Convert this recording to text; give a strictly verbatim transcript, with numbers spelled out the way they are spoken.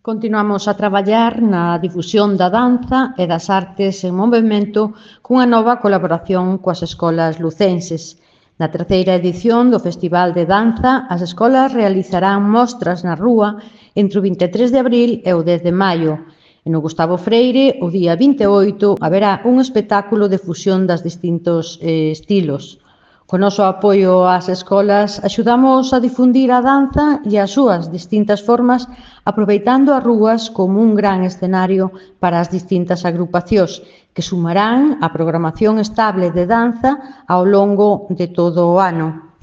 Continuamos a traballar na difusión da danza e das artes en movemento cunha nova colaboración coas escolas lucenses. Na terceira edición do Festival de Danza, as escolas realizarán mostras na rúa entre o vinte e tres de abril e o dez de maio. E no Gustavo Freire, o día vinte e oito, haberá un espectáculo de fusión das distintos eh, estilos. Co noso apoio ás escolas, axudamos a difundir a danza e as súas distintas formas, aproveitando as rúas como un gran escenario para as distintas agrupacións, que sumarán a programación estable de danza ao longo de todo o ano.